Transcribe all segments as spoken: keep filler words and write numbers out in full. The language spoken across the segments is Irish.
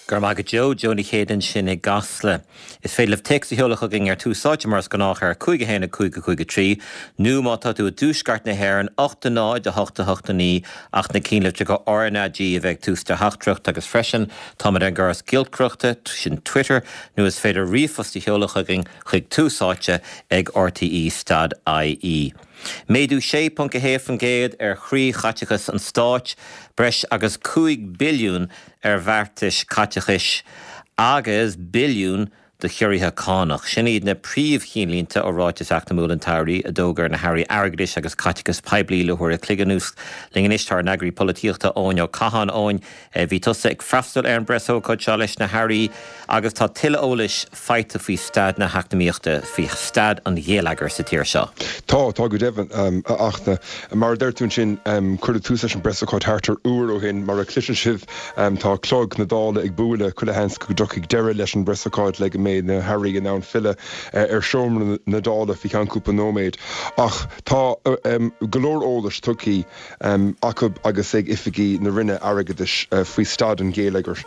Go raibh maith agat Joe, Joe Ní Chéide ansin i gCasla. Is féidir libh téacs a sheoladh chugainn ar Tús Áite mar is gnách ar cúig a haon a cúig a cúig a trí, nó má tá tú i dtuaisceart na hÉireann ocht a náid a hocht a hocht a naoi ach na cinnlitreacha RnaG a bheith ag tús do theachtaireacht agus freisin táimid ar an gcóras giolcaireachta sin Twitter nó is féidir ríomhphost a sheoladh chugainn chuig Tús Áite ag RTE stad IE. Méadú sé ponc a haon faoin gcéad ar chroíchaiteachas an stáit, breis agus cúig billiún ar bheartais caiteachais agus billiún do chiorruithe cánach. Sin iad na príomhcheannlínte ó ráiteas eacnamúil an tsamhraidh a d'fhógair na hairí airgeadais agus caiteachas poiblí le huair an chloig anuas. Linn anois tá ár n-eagraí polaitíochta Eoin Ó Catháin Eoin, bhí tusa ag freastal ar an bpreasócáid seo leis na hairí agus tá tuilleadh eolais faighte faoi staid na heacnamaíochta, faoi staid an gheilleagair sa tír seo. Tá tá go deimhin a Fhachtna. Mar a deir tú ansin cuireadh tús leis an bpreasócáid thart ar uair ó shin mar a chloiseann sibh tá clog na Dála ag bualadh chuile sheans go dtiocfaidh deireadh leis an bpreasócáid le go mbeidh na hairí in ann filleadh ar seomra na Dála faoi cheann cúpla nóiméad. Ach tá go leor eolais tugtha acu agus ag oifigigh na Roinne Airgeadais faoi staid an gheilleagair.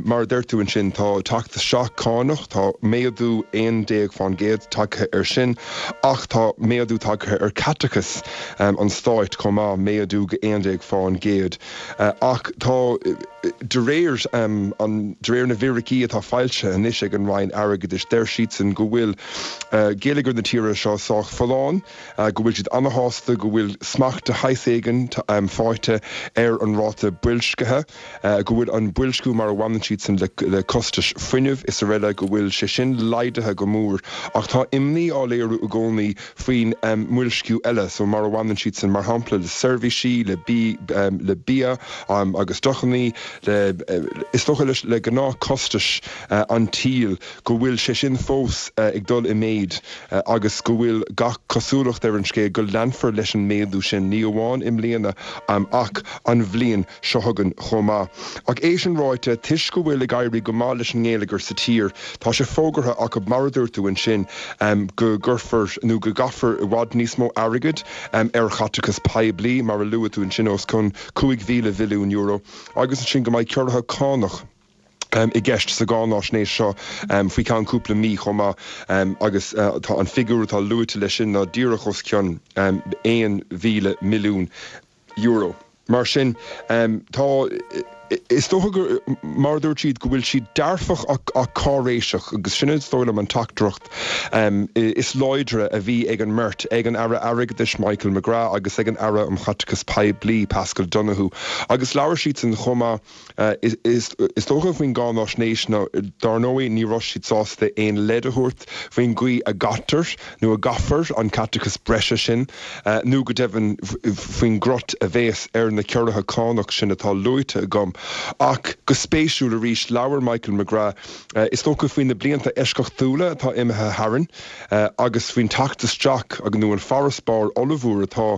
Mar a deir tú ansin tá teacht isteach cánach, tá méadú aon déag faoin gcéad tagtha ar sin, ach tá méadú tagtha ar chaiteachas an stáit chomh maith méadú go aon déag faoin gcéad. Ach tá de réir an de réir na bhfigiúirí atá foilsithe anois ag an Roinn Airgeadais deir siadsan go bhfuil geilleagar na tíre seo sách folláin, go bhfuil siad an-sásta go bhfuil smacht de shaghas éigin faighte ar an ráta boilscithe, go bhfuil an boilsciú mar a bhaineann siadsan le costais fuinnimh is araile go bhfuil sé sin laghdaithe go mór ach tá imní á léiriú i gcónaí faoin mboilsciú eile, so mar a bhaineann siadsan mar shampla le seirbhísí le bí le bia agus deochanna le is dócha leis le gnáthchostais an tsaoil go bhfuil sé sin fós ag dul i méid agus go bhfuil gach cosúlacht ar an scéal go leanfar leis an méadú sin ní amháin i mbliana ach an bhliain seo chugainn chomh maith. Ach é sin ráite toisc go bhfuil ag éirí go maith leis an ngeilleagar sa tír, Tá sé fógartha acu mar a dúirt tú ansin go gcuirfear nó go gcaithfear i bhfad níos mó airgid ar chaiteachas poiblí mar a luaigh tú ansin os cionn cúig mhíle billiún euro agus ansin go mbeidh ciorruithe cánach i gceist sa gcáinaisnéis seo faoi cheann cúpla mí chomh maith agus tá an figiúr atá luaite leis sin ná díreach os cionn aon mhíle milliún euro. Mar sin tá is dócha gur mar a dúirt siad go bhfuil siad dearfach ach cáiréiseach agus sin is dóigh liom an teachtaireacht is láidre a bhí ag an mbeirt ag an Aire Airgeadais Michael McGrath agus ag an Aire um Chaiteachas Poiblí Paschal Donohoe agus labhair siadsan chomh maith is dócha faoin gcáinaisnéis ná dar ndóigh ní raibh siad sásta aon leid a thabhairt faoin gcaoi a gcaitear nó a gcaithfear an caiteachas breise sin nó go deimhin faoin gcruth a bheas ar na ciorruithe cánach sin atá luaite agam. Ach go spéisiúil arís labhair Michael McGrath is dócha faoi na blianta eisceachtúla atá imithe tharainn agus faoin teacht isteach agus nó an farasbarr ollmhór atá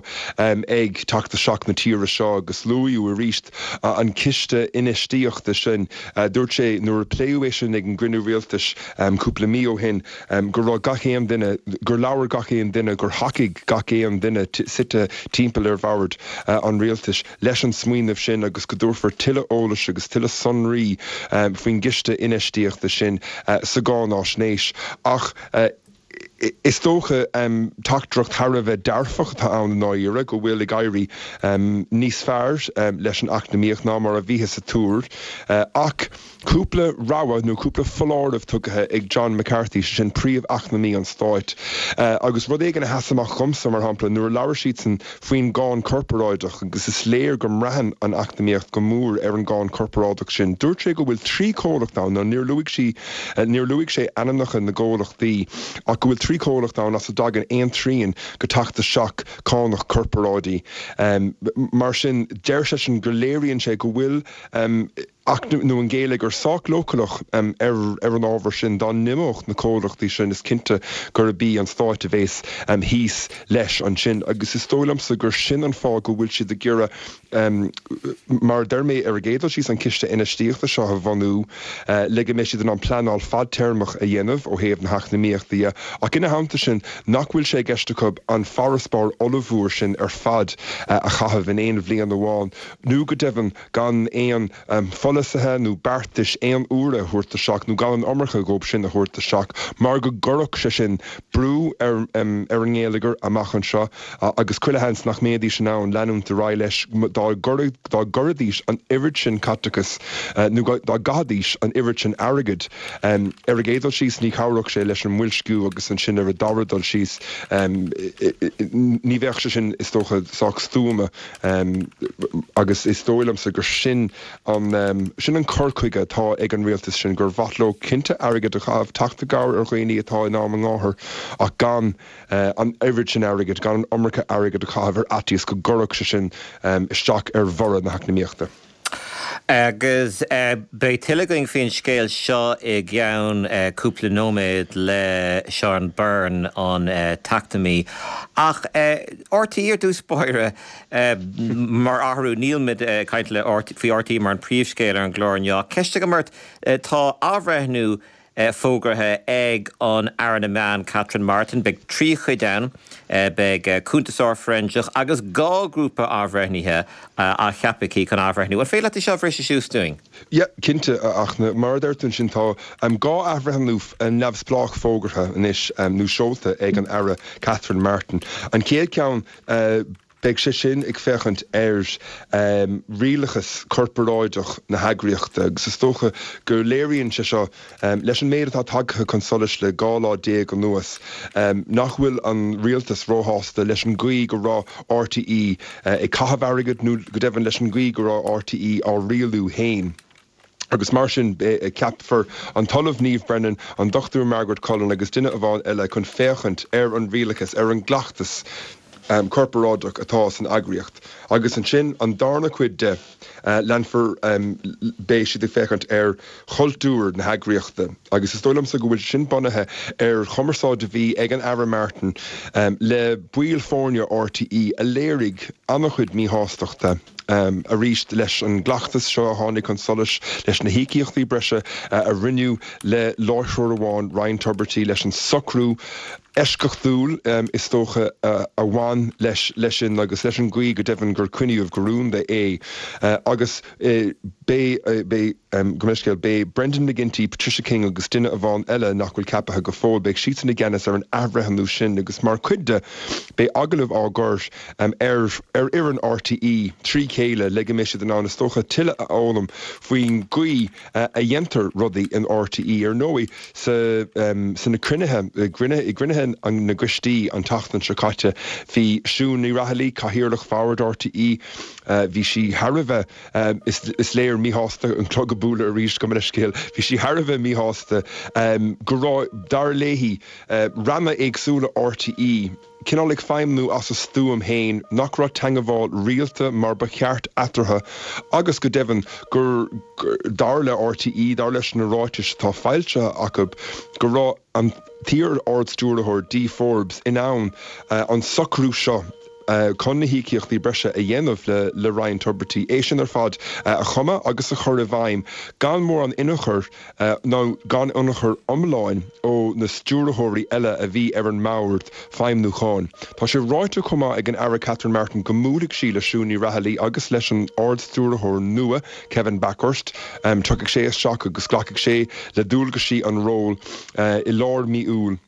ag teacht isteach na tíre seo agus luaigh arís an ciste infheistíochta sin. Dúirt sé nuair a pléadh é sin ag an gcruinniú rialtais cúpla mí ó shin go raibh gach aon duine gur labhair gach aon duine gur thacaigh gach aon duine suite timpeall ar bhord an rialtais leis an smaoineamh sin agus go dtabharfar tuilleadh eolais agus tuilleadh sonraí faoin gciste infheistíochta sin sa gcáinaisnéis ach is dócha teachtaireacht thar a bheith dearfach atá ann i ndáiríre go bhfuil ag éirí níos fearr leis an eacnamaíocht ná mar a bhíothas ag tuar ach cúpla rabhadh nó cúpla foláireamh tugtha ag John McCarthy sin príomh-eacnamaí an stáit agus rud éigin a sheas amach dhomsa mar shampla nuair a labhair siadsan faoin gcáin chorparáideach agus is léir go mbraitheann an eacnamaíocht go mór ar an gcáin chorparáideach sin. Dúirt sé go bhfuil trí chomhlacht ann nó níor luaigh sí níor luaigh sé ainmneacha na gcomhlachtaí ach go bhfuil trí chomhlacht ann as a dtagann aon trian de theacht isteach cánach corparáidí. Mar sin deir sé sin go léiríonn sé go bhfuil nó an geilleagar sách leochaileach ar ar an ábhar sin dá n-imeodh na comhlachtaí sin is cinnte gurb í an stát a bheas thíos leis ansin agus is dóigh liomsa gur sin an fáth go bhfuil siad ag iarraidh mar deir mé ar a gcéad dul síos an ciste infheistíochta seo a bhunú le go mbeidh siad in ann pleanáil fadtéarmach a dhéanamh ó thaobh na heacnamaíochta de ach ina theannta sin nach bhfuil sé i gceist acu an farasbarr ollmhór sin ar fad a chaitheamh in aon bhliain amháin nó go deimhin gan aon polasaithe nó beartais aon uaire a thabhairt isteach nó gan an iomarca dhóibh sin a thabhairt isteach mar go gcuirfeadh sé sin brú ar ar an ngeilleagar amach anseo agus chuile sheans nach mbeidís in ann leanúint ar aghaidh leis dá dá gcuirfidís an oiread sin caiteachais nó dá gcaithfidís an oiread sin airgid. Ar an gcéad dul síos ní chabhródh sé leis an mboilsciú agus ansin ar an dara dul síos ní bheadh sé sin is dócha sách stuama agus is dóigh liomsa gur sin an sin an cur chuige atá ag an rialtas sin gur mhaith leo cinnte airgead a chaitheamh teacht i gcabhair ar dhaoine atá in am a ngáthar ach gan an oiread sin airgid, gan an iomarca airgid a chaitheamh ar fhaitíos go gcuirfeadh sé sin isteach ar bhorradh na heacnamaíochta. Agus beidh tuilleadh againn faoin scéal seo i gceann cúpla nóiméad le Seán Byrne, an t-eacnamaí. Ach R T É ar dtús báire, mar athrú, nílmid ag caint le faoi R T É mar an príomhscéal ar an gclár inniu. Ceist agam ort, tá athbhreithniú fógartha ag an Aire na Meán Catherine Martin. Beidh trí chuid ann, beidh cuntasóir fóiréinseach agus dhá ghrúpa athbhreithnithe á cheapadh aici chun athbhreithniú. An féidir leat é seo a bhriseadh síos dúinn? Yeah, cinnte, ach mar a deir tú ansin tá dhá athbhreithniú neamhspleách fógartha anois nó seolta ag an Aire Catherine Martin. An chéad cheann, beidh sé sin ag féachaint ar rialachas corparáideach na heagraíochta agus is dócha go léiríonn sé seo leis an méid atá tagtha chun solais le dhá lá déag anuas nach bhfuil an rialtas róshásta leis an gcaoi go raibh R T É ag caitheamh airgid nó go deimhin leis an gcaoi go raibh R T É á rialú féin. Agus mar sin ceapfar an tOllamh Niamh Brennan, an Dochtúir Margaret Cullen agus duine amháin eile chun féachaint ar an rialachas, ar an gcleachtas corparáideach atá san eagraíocht. Agus ansin an darna cuid de, leanfar, beidh siad ag féachaint ar chultúr na heagraíochta. Agus is dóigh liomsa go bhfuil sin bunaithe ar chumarsáid a bhí ag an Aire Martin le baill foirne R T É a léirigh an-chuid míshástachta arís leis an gcleachtas seo a tháinig chun solais, leis na híocaíochtaí breise a rinneadh le láithreoir amháin, Ryan Tubridy, leis an socrú eisceachtúil is dócha a bhain leis leis sin agus leis an gcaoi go deimhin gur coinníodh go rúnda é. Agus beidh, beidh, gabh mo leithscéal, beidh Brendan McGinty, Patricia King agus duine amháin eile nach bhfuil ceaptha go fóill, beidh siadsan i gceannas ar an athbhreithniú sin agus mar chuid de beidh agallaimh á gcur ar ar fhoireann R T É trí chéile le go mbeidh siad in ann is dócha tuilleadh a fhoghlaim faoin gcaoi a dhéantar rudaí in R T É. Ar ndóigh sa sna cruinnithe i gcruinnithe na gcoistí an tseachtain seo caite bhí Siún Ní Raghallaigh, Cathaoirleach Bhord R T É, bhí sí thar a bheith is léir míshásta, an clog ag bualadh arís, gabh mo leithscéal, bhí sí thar a bheith míshásta go raibh, dar léi, ranna éagsúla R T É cineál ag feidhmiú as a stuaim féin, nach raibh teagmháil rialta mar ba cheart eatarthu agus go deimhin gur, dar le R T É, dar leis na ráitis atá foilsithe acu, go raibh an t-iar-Ard-Stiúrthóir Dee Forbes in ann an socrú seo chun na híocaíochtaí breise a dhéanamh le le Ryan Tubridy, é sin ar fad a chumadh agus a chur i bhfeidhm gan mórán ionchur nó gan ionchur iomlán ó na stiúrthóirí eile a bhí ar an mbord feidhmiúcháin. Tá sé ráite chomh maith ag an Aire Catherine Martin go mbuailfidh sí le Siún Ní Raghallaigh agus leis an Ard-Stiúrthóir nua Kevin Bakhurst. Tiocfaidh sé isteach agus glacfaidh sé le dualgaisí an ról i lár mí Iúil.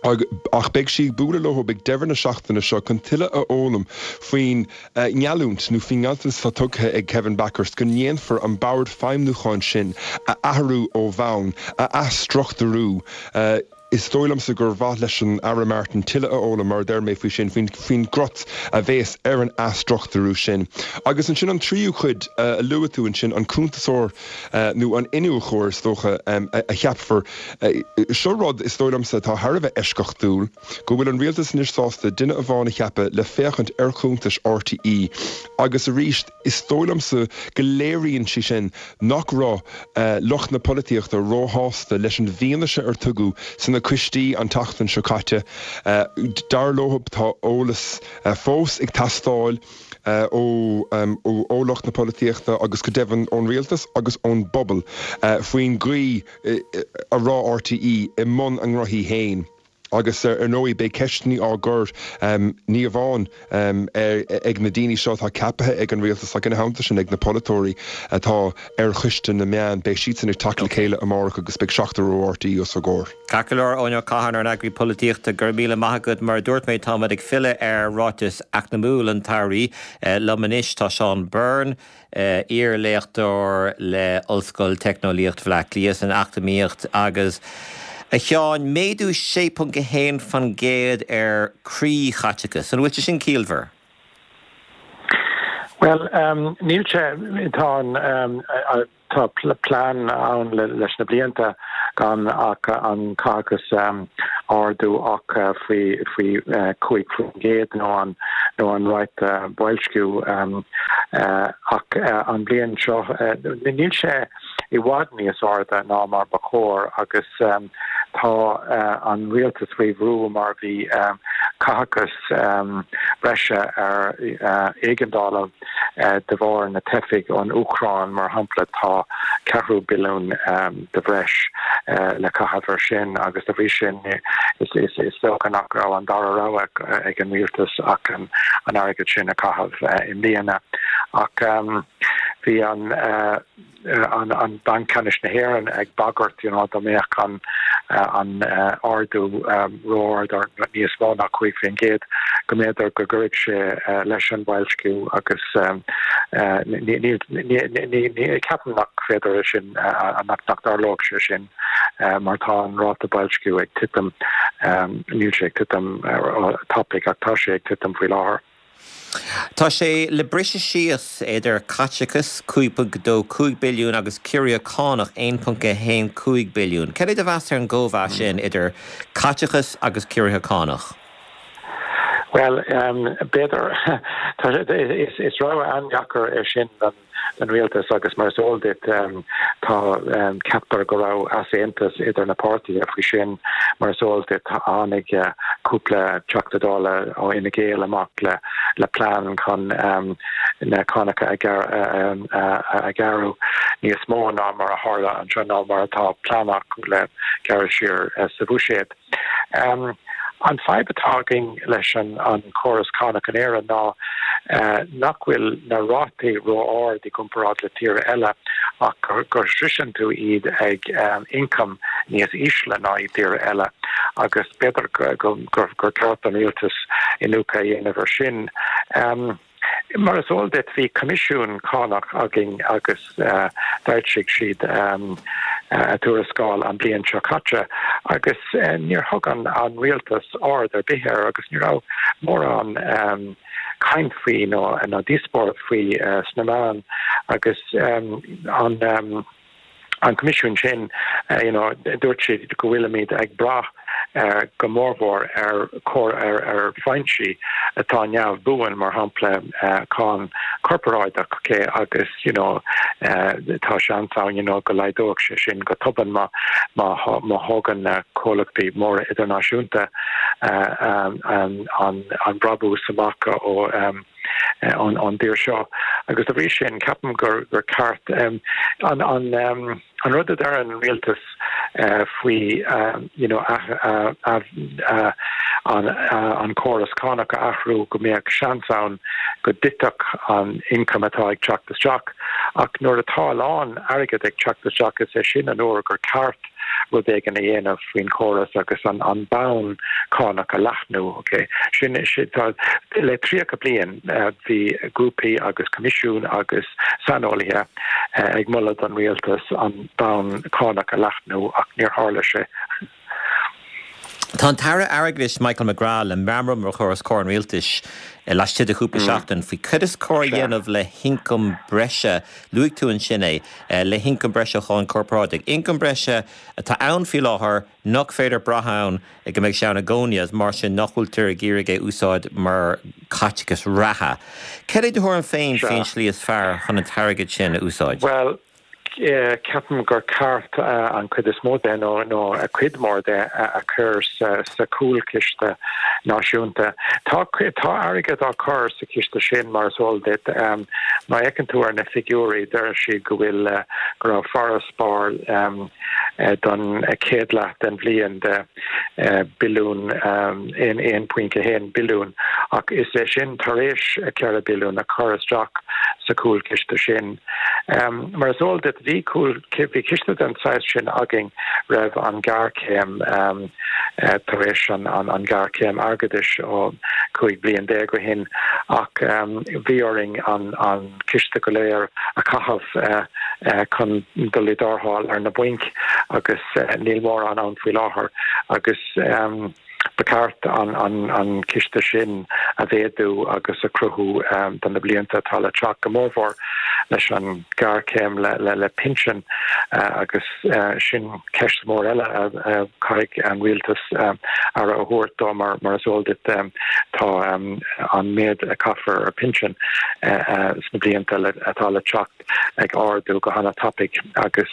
Ach beidh sí ag bualadh leo ag deireadh na seachtaine seo chun tuilleadh a fhoghlaim faoin ngeallúint nó faoin ngealltanas atá tugtha ag Kevin Bakhurst go ndéanfar an bord feidhmiúcháin sin a athrú ó bhonn, a athstruchtúrú. Is dóigh liomsa gur mhaith leis an Aire Martin tuilleadh a fhoghlaim, mar a deir mé, faoi sin, faoin gcrut a bheas ar an athstruchtúrú sin. Agus ansin an tríú cuid a luaigh tú ansin, an cuntasóir nó an iniúchóir is dócha a cheapfar. Seo rud, is dóigh liomsa, atá thar a bheith eisceachtúil, go bhfuil an rialtas anois sásta duine amháin a cheapadh le féachaint ar chuntais R T É agus arís is dóigh liomsa go léiríonn sé sin nach raibh lucht na polaitíochta róshásta leis an bhfianaise ar tugadh sna coistí an tseachtain seo caite. Dar leo tá eolas fós ag teastáil ó lucht na polaitíochta agus go deimhin ón rialtas agus ón bpobal faoin gcaoi a raibh R T É i mbun a ngnóthaí féin. Agus ar ndóigh beidh ceisteanna á gcur ní amháin ag na daoine seo atá ceaptha ag an rialtas ach ina theannta sin ag na polaiteoirí atá ar choiste na meán, beidh siadsan ag teacht le chéile amárach agus beidh seachtar ó R T É os a gcomhair. Ceart go leor, Eoin Ó Catháin, ár n-eagraí polaitíochta, go raibh míle maith agat. Mar a dúirt mé, táimid ag filleadh ar ráiteas eacnamúil an tAire. Liom anois tá Seán Byrne, iar-léachtóir le Ollscoil Teicneolaíocht Bhaile Átha Cliath san eacnamaíocht agus a Sheáin, méadú sé ponc a haon faoin gcéad ar chroíchaiteachas. An bhfuil sé sin ciallmhar? Well, um, níl sé tá um, tá plean ann leis na blianta gan ach an caiteachas um, ardú ach uh, faoi faoi uh, cúig faoin gcéad nó an nó an ráta uh, boilsciú um, uh, ach uh, an bliain seo uh, níl sé i bhfad níos airde ná mar ba chóir agus um, tá uh, an rialtas faoi bhrú mar bhí um, caiteachas um, breise ar uh, éigeandála uh, de bharr na teifigh ón Úcráin mar shampla tá ceathrú billiún um, de bhreis uh, le caitheamh sin agus de bhrí sin is is is dócha nach raibh an dara rogha ag an rialtas ach an an airgead sin a chaitheamh uh, i mbliana ach um, bhí an uh, an an Banc Ceannais na hÉireann ag bagairt you know, dá mbeadh an uh, an uh, ardú um, ró-ard níos mó ná cúig faoin gcéad go mb'fhéidir go gcuirfeadh sé uh, leis an boilsciú agus um, uh, ceapaim nach féidir sin uh, nach nach dtarlódh sé sin uh, mar tá an ráta boilsciú ag titim um, níl sé ag titim uh, tapaidh ach tá sé ag titim faoi láthair. Tá sé le briseadh síos idir caiteachas cúig ponc dó cúig billiún agus ciorruithe cánach aon ponc a haon cúig billiún. Cad é do mheas ar an gcóimheas sin idir caiteachas agus ciorruithe cánach? Well, um, b'fhéidir is, is rogha an-deacair é sin den den rialtas agus mar is eol duit um, tá um, ceaptar go raibh easaontas idir na páirtithe faoi sin mar is eol duit tháinig uh, cúpla Teachta Dála ó Fhine Gael amach le le plean chun um, na cánacha a, um, a, a ghearradh níos mó ná mar a tharla anseo ná mar atá plean acu le gearradh siar uh, sa bhuiséad. Um, an fadhb atá againn leis an an córas cánach in Éirinn ná uh, nach bhfuil na rátaí ró-ard i gcomparáid le tíortha eile ach gur, gur sroicheann tú iad ag um, ioncam níos ísle ná i dtíortha eile agus b'fhéidir gur gur gur ceart an rialtas iniúchadh a dhéanamh air sin. Um, Mar is eol duit bhí coimisiún cánach againn agus uh, d'fhoilsigh siad um, uh, tuarascáil an bliain seo caite agus uh, níor thug an an rialtas aird ar bith air agus ní raibh mórán um, caint faoi nó nó díospóireacht faoi uh, sna meáin agus um, an um, an coimisiún sin uh, you know, dúirt siad go bhfuilimid ag brath uh, go mórmhór ar chór ar ar foinsí atá neamhbhuan mar shampla uh, cáin corparáideach okay, agus you know, uh, tá seans ann you know, go laghdódh sé sin go tobann má má má thugann na comhlachtaí móra idirnáisiúnta uh, um, um, an, an brabús amach ó um, an an dtír seo agus dá bhrí sin ceapaim gur gur ceart um, an an um, an rud a deir an rialtas uh, faoi um, you know, uh, uh, uh, an, uh, an córas cánach a athrú go mbeadh seans ann go dtitfeadh an ioncam atá ag teacht isteach ach nuair atá a lán airgead ag teacht isteach is é sin an uair gur ceart rud éigin a dhéanamh faoin chóras agus an an bonn cánach a leathnú okay. sin sin tá le tríocha bliain uh, bhí grúpaí agus coimisiún agus saineolaithe uh, ag moladh don rialtas an bonn cánach a leathnú ach níor tharla sé. Tá an tAire Airgeadais Michael McGrath le meamram a chur os comhair an rialtais laistigh de chúpla seachtain faoi cad is cóir a dhéanamh le hioncam breise luaigh tú ansin é le hioncam breise cháin corparáideach. Ioncam breise atá ann faoi láthair nach féidir brath ann go mbeidh sé ann i gcónaí as mar sin nach bhfuiltear ag iarraidh é úsáid mar chaiteachas reatha. Cad é do thuairim féin faoin slí is fearr chun an t-airgead sin a úsáid? Well, ceapaim gur ceart uh, an chuid is mó de nó nó a cuid mór de a chur sa, sa cúlchiste náisiúnta. Tá tá airgead á chur sa chiste sin mar is eol duit um, má fhéachann tú ar na figiúirí deir siad go bhfuil uh, go raibh farasbarr um, don chéad leath den bhliain de billiún aon aon pointe haon billiún ach is é sin tar éis ceithre billiún a chur isteach sa chúlchiste sin. Mar is eol duit bhí bhí ciste den saghas sin againn roimh an ghéarchéim tar éis an an ghéarchéim airgeadais ó cúig bliain déag ó shin ach bhí orainn an an ciste go léir a chaitheamh chun dul i dtarrtháil ar na bainc agus níl mórán ann faoi láthair agus ba cheart an an an ciste sin a mhéadú agus a chruthú do na blianta atá le teacht go mórmhór leis an ngéarchéim le le le pinsin agus sin ceist mór eile a chaithfidh an rialtas aire a thabhairt dó mar mar is eol duit tá an méid a chaithfear ar pinsin sna blianta atá le teacht ag ardú go han-tapaidh agus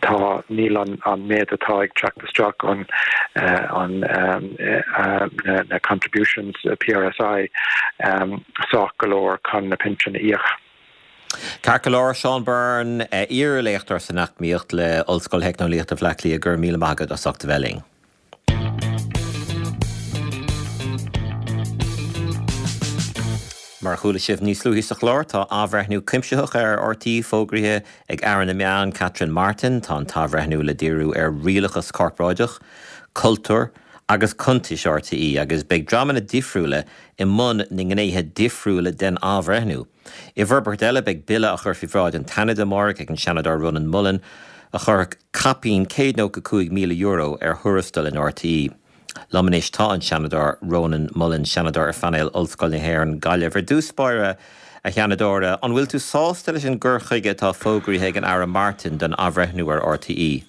tá níl an an méid atá ag teacht isteach an an na contributions PRSI sách go leor chun na pinsin a íoc. Ceart go leor Seán Byrne iar-léachtóir san eacnamaíocht le Ollscoil Theicneolaíochta Bhaile Átha Cliath go raibh míle maith agat as ucht a bheith linn. Mar a chuala sibh níos luaithe sa chlár, tá athbhreithniú cuimsitheach ar RTÉ fógraithe ag Aire na Meán, Catherine Martin. Tá an t-athbhreithniú le díriú ar rialachas corparáideach, cultúr agus cuntais RTÉ agus beidh dreamanna difriúla i mbun na ngnéithe difriúla den athbhreithniú. I bhforbairt eile beidh bille á chur faoi bhráid an tSeanaid amárach ag an Seanadóir Rónán Mullen a chuirfeadh caipín céad nócha cúig míle euro ar thuarastail in RTÉ. Liom anois tá an Seanadóir Rónán Mullen, Seanadóir ar phainéal Ollscoil na hÉireann, Gaillimh. Ar dtús báire, a Sheanadóra, an bhfuil tú sásta leis an gcur chuige atá fógraithe ag an Aire Martin don athbhreithniú ar RTÉ?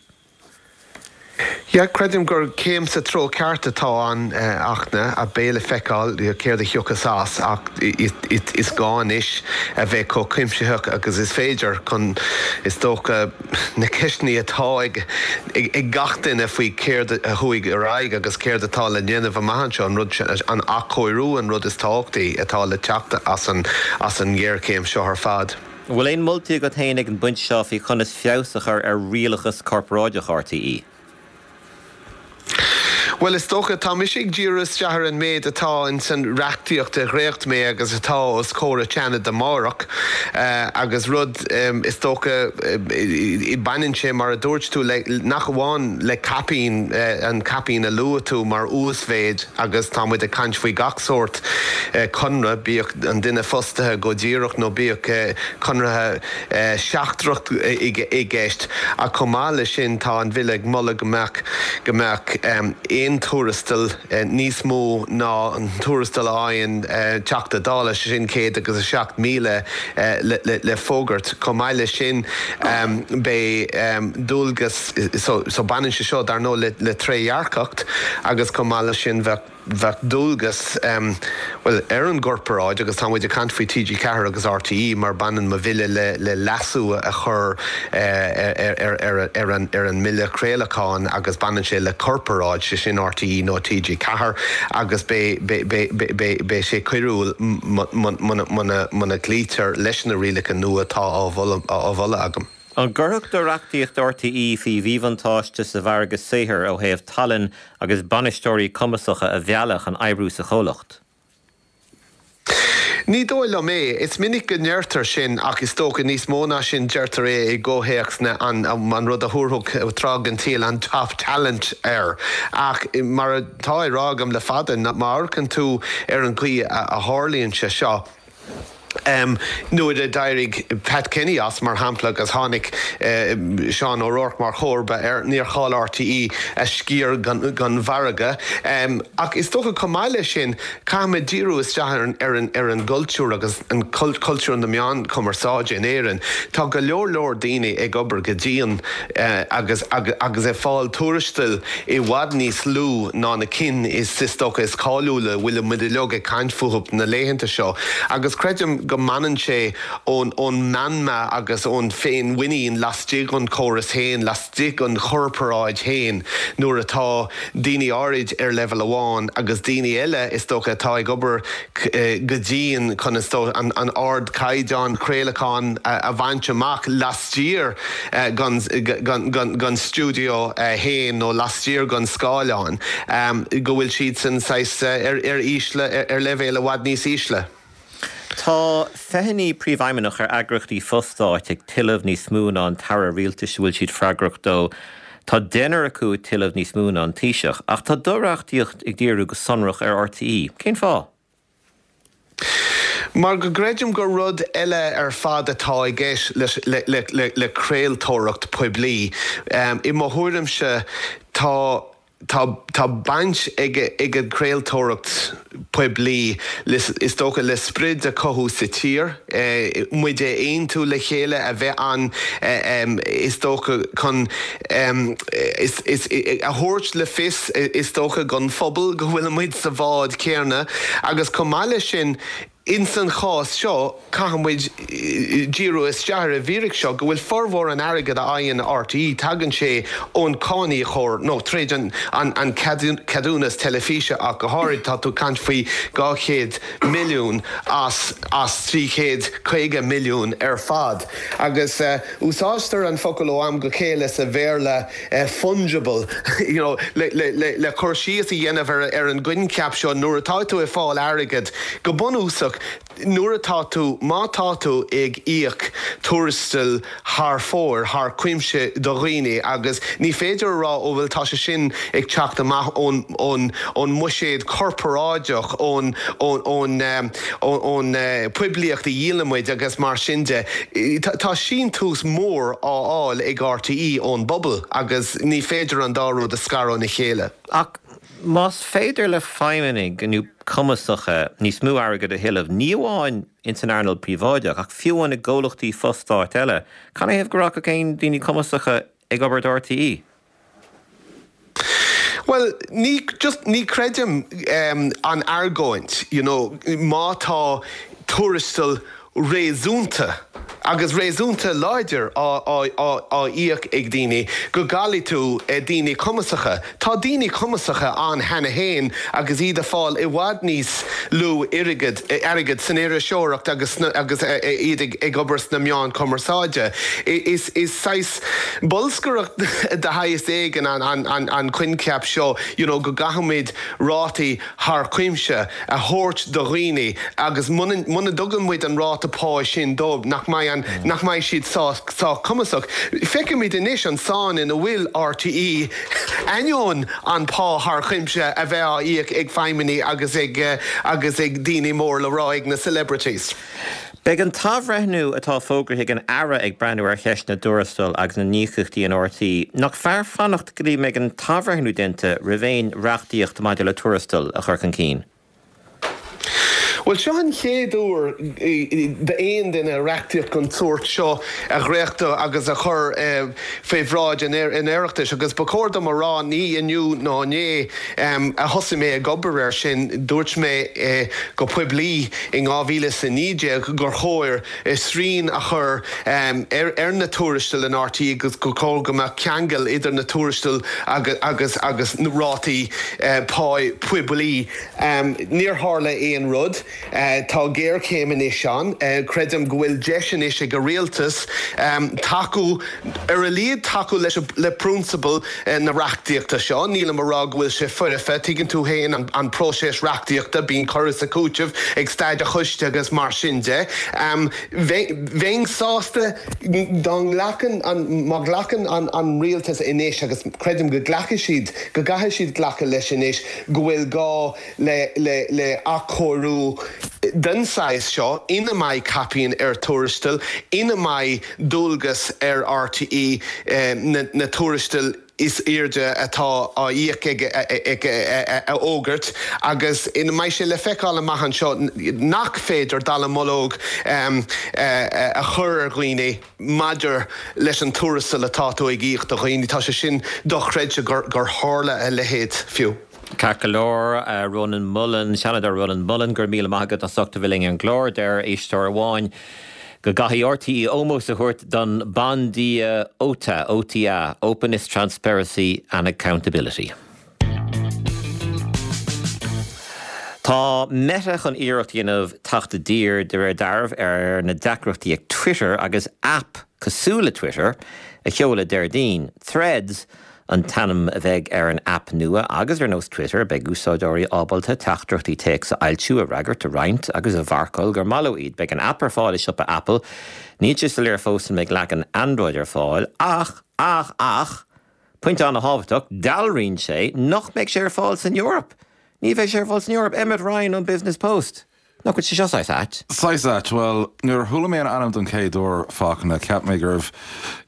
Yeah, creidim gur céim sa treo ceart atá ann Fhachtna, a beidh le feiceáil céard a thiocfas as ach is gá anois a bheith chomh cuimsitheach agus is féidir chun is dócha na ceisteanna atá ag ag gach duine faoi céard a chuaigh ar aghaidh agus céard atá le déanamh amach anseo, an rud sin, an athchóiriú an rud is tábhachtaí atá le teacht as an as an ngéarchéim seo ar fad. An bhfuil aon moltaí agat féin ag an bpointe seo faoi chonas feabhas a chur ar rialachas corparáideach RTÉ? Bhuel, is dócha, tá mise ag díriú isteach ar an méid atá ins an reachtaíocht a dhréacht mé agus atá os comhair an tSeanaid amárach agus rud, is dócha, baineann sé, mar a dúirt tú, le, nach amháin le caipín, an caipín a luaigh tú mar uasmhéid agus tá muid ag caint faoi gach sórt conradh, bíodh an duine fostaithe go díreach nó bíodh conradh seachtrach i gceist ach chomh maith leis sin tá an Bhille ag moladh go mbeadh, go mbeadh aon tuarastal níos mó ná an tuarastal a fhaigheann Teachta Dála, sé sin céad agus a seacht míle le fógairt. Chomh maith leis sin beidh dualgas, so baineann sé seo dar ndóigh le trédhearcacht agus chomh maith leis sin bheadh, bheadh dualgas, bhuel, ar an gcorparáid, agus tá muid ag caint faoi TG Ceathair agus RTÉ mar baineann mo bhille le le leasú a chur ar an ar an mBille Craolacháin agus baineann sé le corparáid, sé sin RTÉ nó TG Ceathair agus beidh beidh beidh sé coiriúil muna muna gcloítear leis na rialacha nua atá á mholadh agam. An gcuirfeadh do reachtaíocht RTÉ faoi mhíbhuntáiste sa mhargadh saothair ó thaobh tallann agus bainisteoirí cumasacha a mhealladh chun oibriú sa chomhlacht? Ní dóigh liom é. Is minic go ndeirtear sin ach is dócha níos mó ná sin deirtear é i gcomhthéacs na an an rud a thabharfadh tráth den tsaol an top talent air. Ach mar atá á rá agam le fada, má amharcann tú ar an gcaoi a tharlaíonn sé seo, Nuair a d'éirigh Pat Kenny as, mar shampla, agus tháinig Seán O'Rourke mar chomharba air, níor chaill RTÉ a sciar den mhargadh. Ach is dócha chomh maith leis sin, caithfimid díriú isteach ar an gcultúr agus an cultúr na meán cumarsáide in Éirinn. Tá go leor leor daoine ag obair go dian agus agus ag fáil tuarastail i bhfad níos lú ná na cinn is is dócha is cáiliúla a bhfuil muid uilig ag caint fúthu na laethanta seo. Agus creidim Creidim go mbaineann sé ón ón meanma agus ón féinmhuinín laistigh den chóras féin, laistigh den chorparáid féin nuair atá daoine áirid ar leibhéal amháin agus daoine eile is dócha atá ag obair go dian chun is dócha an an ardchaighdeán craolacháin a bhaint amach laistiar den den stiúideo féin nó laistiar den scáileán go bhfuil siad san saghas ar ar ísle ar leibhéal i bhfad níos ísle. Tá fiche naoi príomhfheidhmeannach ar eagraíochtaí fo-stáit ag tuilleamh níos mó ná an t-aire rialtais a bhfuil siad freagrach dó. Tá deichniúr acu ag tuilleamh níos mó ná an Taoiseach, ach tá do reachtaíocht ag díriú go sonrach ar RTÉ. Cén fáth? Mar go gcreidim gur rud eile ar fad atá i gceist le, le, le, le, le craoltóireacht poiblí. Um, I mo thuairimse tá Tá tá baint ag ag an craoltóireacht poiblí is dócha le sprid a chothú sa tír, eh, muid a aontú le chéile a bheith an eh, is dócha chun is is a thabhairt le fios is dócha don phobal go bhfuil muid sa bhád céanna agus chomh maith leis sin Ins an chás seo, caithfidh muid díriú isteach ar an bhfíric seo go bhfuil formhór an airgid a fhaigheann RTÉ, tagann sé ón cáiníocóir nó tríd an an ceadúnas teilifíse ach go háirid, tá tú ag caint faoi dhá chéad milliún as as trí chéad caoga milliún ar fad. Agus úsáidtear an focal ó am go chéile sa Bhéarla fungible you know le le le le cur síos a dhéanamh ar ar an gcoincheap seo nuair atá tú ag fáil airgid go bunúsach. Nuair atá tú, má tá tú ag íoc tuarastal thar fóir, thar cuimse do dhaoine agus ní féidir a rá ó bhuel tá sé sin ag teacht amach ón, ón, ón mbuiséad corparáideach, ón, ón, ón, ón poiblíocht a dhíolann muid agus mar sin de. Tá síntiús mór á fháil ag RTÉ ón bpobal agus ní féidir an dá rud a scaradh óna chéile. Ach más féidir le feidhmeannaigh nó cumasacha níos mó airgid a thuilleamh, ní amháin ins an earnáil príobháideach, ach fiú amháin i gcomhlachtaí fo-stáit eile, canathaobh go rachadh aon daoine cumasacha ag obair do RTÉ? Bhuel, ní, just, ní chreidim an argóint, you know, má tá tuarastal réasúnta agus réasúnta láidir á íoc ag daoine, go gcaillfidh tú daoine cumasacha. Tá daoine cumasacha ann cheana féin agus iad ag fáil i bhfad níos lú airgid airgid san iriseoireacht agus agus iad ag obair sna meáin cumarsáide. Is is saghas bolscaireacht de shaghas éigin an an an coincheap seo you know go gcaithfimid rátaí thar cuimse a thabhairt do dhaoine agus muna muna dtugann muid an ráta pá sin dóibh nach mbeidh an nach mbeidh siad sách cumasach. Feicimid anois an sáinn ina bhfuil RTÉ ainneoin an pá thar cuimse a bheith á íoc ag feidhmeannaigh agus ag agus ag daoine mór le rá ag na celebrities. Beidh an t-athbhreithniú atá fógraithe ag an Aire ag breathnú ar cheist na dtuarastal agus na n-íocaíochtaí in RTÉ. Nach fearr fanacht go dtí mbeidh an t-athbhreithniú déanta roimh aon reachtaíocht maidir le tuarastal a chur chun cinn? Bhuel, seo an chéad uair d'aon duine reachtaíocht den tsórt seo a dhréachtú agus a chur fé bhráid an Oireachtais agus ba chóir dom a rá, ní inniu ná inné a thosaigh mé ag obair air sin. Dúirt mé go poiblí in dhá mhíle is a naoi déag gur chóir srian a chur ar na tuarastail in RTÉ agus gur chóir go mbeadh ceangal idir na tuarastail agus agus na rátaí pá poiblí. Níor tharla aon rud. Tá géarchéim anois ann. Creidim go bhfuil deis anois ag an rialtas tacú, ar a laghad tacú leis le prionsabal na reachtaíochta seo. Nílim a rá go bhfuil sé foirfe. Tuigeann tú féin an próiseas reachtaíochta, bíonn cur is cúiteamh ag staid an choiste agus mar sin de. Bheinn sásta dá nglacann an, má ghlacann an rialtas anois, agus creidim go nglacfaidh siad, go gcaithfidh siad glacadh leis anois, go bhfuil gá le le le athchóiriú den saghas seo ina mbeidh caipín ar tuarastail, ina mbeidh dualgas ar RTÉ na tuarastail is airde atá á íoc aige a fhógairt agus ina mbeidh sé le feiceáil amach anseo nach féidir dallamullóg a chur ar dhaoine maidir leis an tuarastal atá tú ag íoc do dhaoine. Tá sé sin dochreidte gur tharla a leithéid fiú. Ceart go leor Rónán Mullen, Seanadóir Rónán Mullen, go raibh míle maith agat as ucht a bheith linn ar an gclár, deir éisteoir amháin go gcaithfidh RTÉ ómós a thabhairt don bandia OTA, OTA, Openness, Transparency and Accountability. Tá Meta chun iarracht a dhéanamh teacht i dtír de réir dealraimh ar na deacrachtaí ag Twitter agus aip cosúil le Twitter a sheoladh Déardaoin. Threads an t-ainm a bheidh ar an aip nua agus ar nós Twitter beidh úsáideoirí ábalta teachtaireachtaí téacs a fhoilsiú, a fhreagairt, a roinnt agus a mharcáil gur maith leo iad. Beidh an aip ar fáil i siopa Apple. Níl sé soiléir fós an mbeidh leagan Android ar fáil ach, ach, ach, pointe an-thábhachtach, dealraíonn sé nach mbeidh sé ar fáil san Eoraip. Ní bheidh sé ar fáil san Eoraip. Emmet Ryan ón Business Post. Nach bhfuil sé seo saghas ait? Saghas ait, bhuel, nuair a chuala mé an ainm don chéad uair, Fachtna, cheap mé gurbh,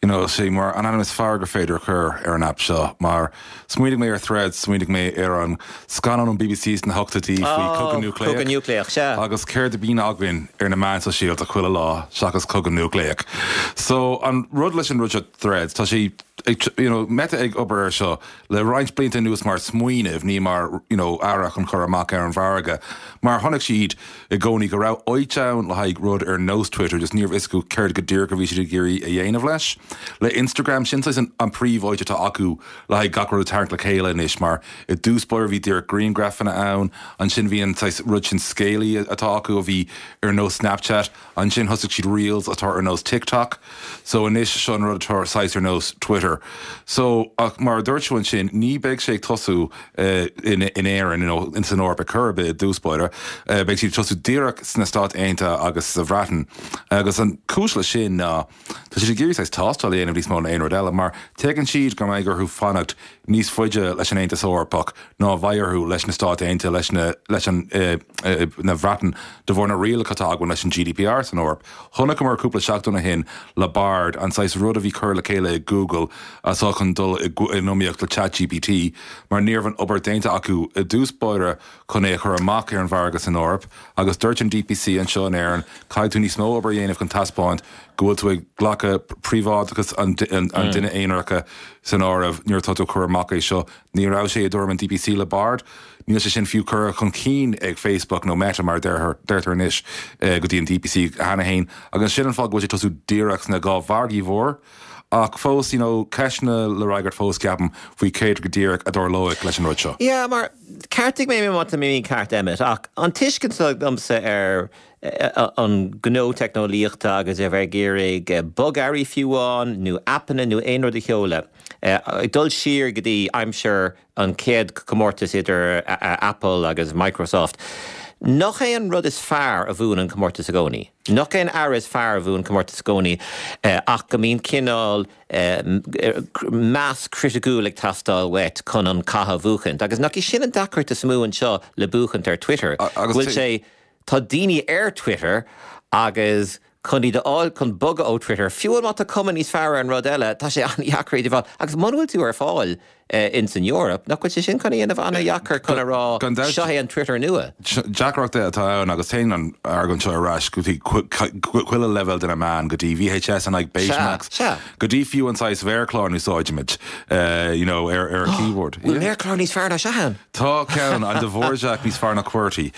you know, sé mar an ainm is fearr gur féidir a chur ar an aip seo, mar smaoinigh mé ar Threads, smaoinigh mé ar an scannán ón BBC sna hochtóidí faoi chogadh núicléach. Cogadh núicléach, sea. Agus céard a bhíonn againn ar na meáin sóisialta chuile lá seachas cogadh núicléach. So, an rud leis an rud seo Threads, tá sé ag, you know, Meta ag obair air seo le roinnt blianta anuas mar smaoineamh, ní mar, you know, earra chun cur amach ar an mhargadh, mar chonaic siad i gcónaí go raibh áit ann le haghaidh rud ar nós Twitter, just níorbh fhios acu céard go díreach a bhí siad ag iarraidh a dhéanamh leis. Le Instagram, sin saghas an, an príomháit atá acu le haghaidh gach rud a tharraingt le chéile anois, mar i dtús báire bhí díreach grianghrafanna ann, ansin bhí an saghas rud sin scéalaí atá acu a bhí ar nós Snapchat, ansin thosaigh siad Reels atá ar nós TikTok, so anois seo an rud atá saghas ar nós Twitter. So, ach mar a dúirt tú ansin, ní beidh sé ag tosú eh, in, in Éirinn nó in san Eoraip ar chor ar bith i dtús báire, eh, beidh siad ag tosú díreach sna Stáit Aontaithe agus sa Bhreatain. Agus an cúis leis sin ná tá siad ag iarraidh saghas tástáil a dhéanamh níos mó ná aon rud eile, mar tuigeann siad go mbeidh orthu fanacht níos faide leis an Aontas Eorpach ná a bheidh orthu leis na Stáit Aontaithe, leis na, leis an, eh, eh, na Bhreatain de bharr na rialacha atá againn leis an GDPR san Eoraip. Chonaiceamar cúpla seachtain ó shin le Bard, an saghas rud a bhí curtha le chéile ag Google atá chun dul i in iomaíocht le ChatGPT, mar ní raibh an obair déanta acu i dtús báire chun é a chur amach ar an mhargadh san Eoraip, agus dúirt an DPC anseo in Éirinn, caithfidh tú níos mó obair a dhéanamh chun taispeáint go bhfuil tú ag glacadh príobháideachas an duine aonaracha san áireamh nuair atá tú ag cur amach é seo. Ní raibh sé i dtuairim an DPC le Bard. Níl sé sin fiú curtha chun cinn ag Facebook nó Meta mar deirtear anois go dtí an DPC cheana féin. Agus sin an fáth go bhfuil sé ag tosú díreach sna dhá mhargaí mhór. Ach fós, you know, ceisteanna le fhreagairt fós ceapaim faoi céard go díreach a dtarlóidh leis an rud seo. Yeah, mar ceartaigh mé má tá mé mícheart Emmet, ach an tuiscint agamsa ar an gnó teicneolaíochta agus a bheith ag iarraidh bogearraí fiú amháin nó aipeanna nó aon rud a sheoladh, ag dul siar go dtí aimsir an chéad comórtas idir Apple agus Microsoft. Nach é an rud is fearr a bhuann an comórtas i gcónaí? Nach é an earra is fearr a bhuann comórtas i gcónaí ach go mbíonn cineál meas criticiúil ag teastáil uait chun an cath a bhuachaint. Agus nach í sin an deacracht is mó anseo le buachaint ar Twitter? Go bhfuil sé, tá daoine ar Twitter agus chun iad a fháil chun bogadh ó Twitter, fiú má tá cuma níos fearr ar an rud eile, tá sé an-dheacair iad a fháil. Agus muna bhfuil tú ar fáil in san Eoraip, nach bhfuil sé sin chun a dhéanamh an-dheacair chun a rá seo é an Twitter nua? Deacracht atá ann agus téann an argóint seo ar ais go dtí chuile leibhéal de na meáin, go dtí VHS in aghaidh Betamax, go dtí fiú an saghas mhéarchlár a úsáidimid you know, ar ar an keyboard. Bhfuil méarchlár níos fearr ná seo ann? Tá ceann, an Dvorak níos fearr ná QWERTY,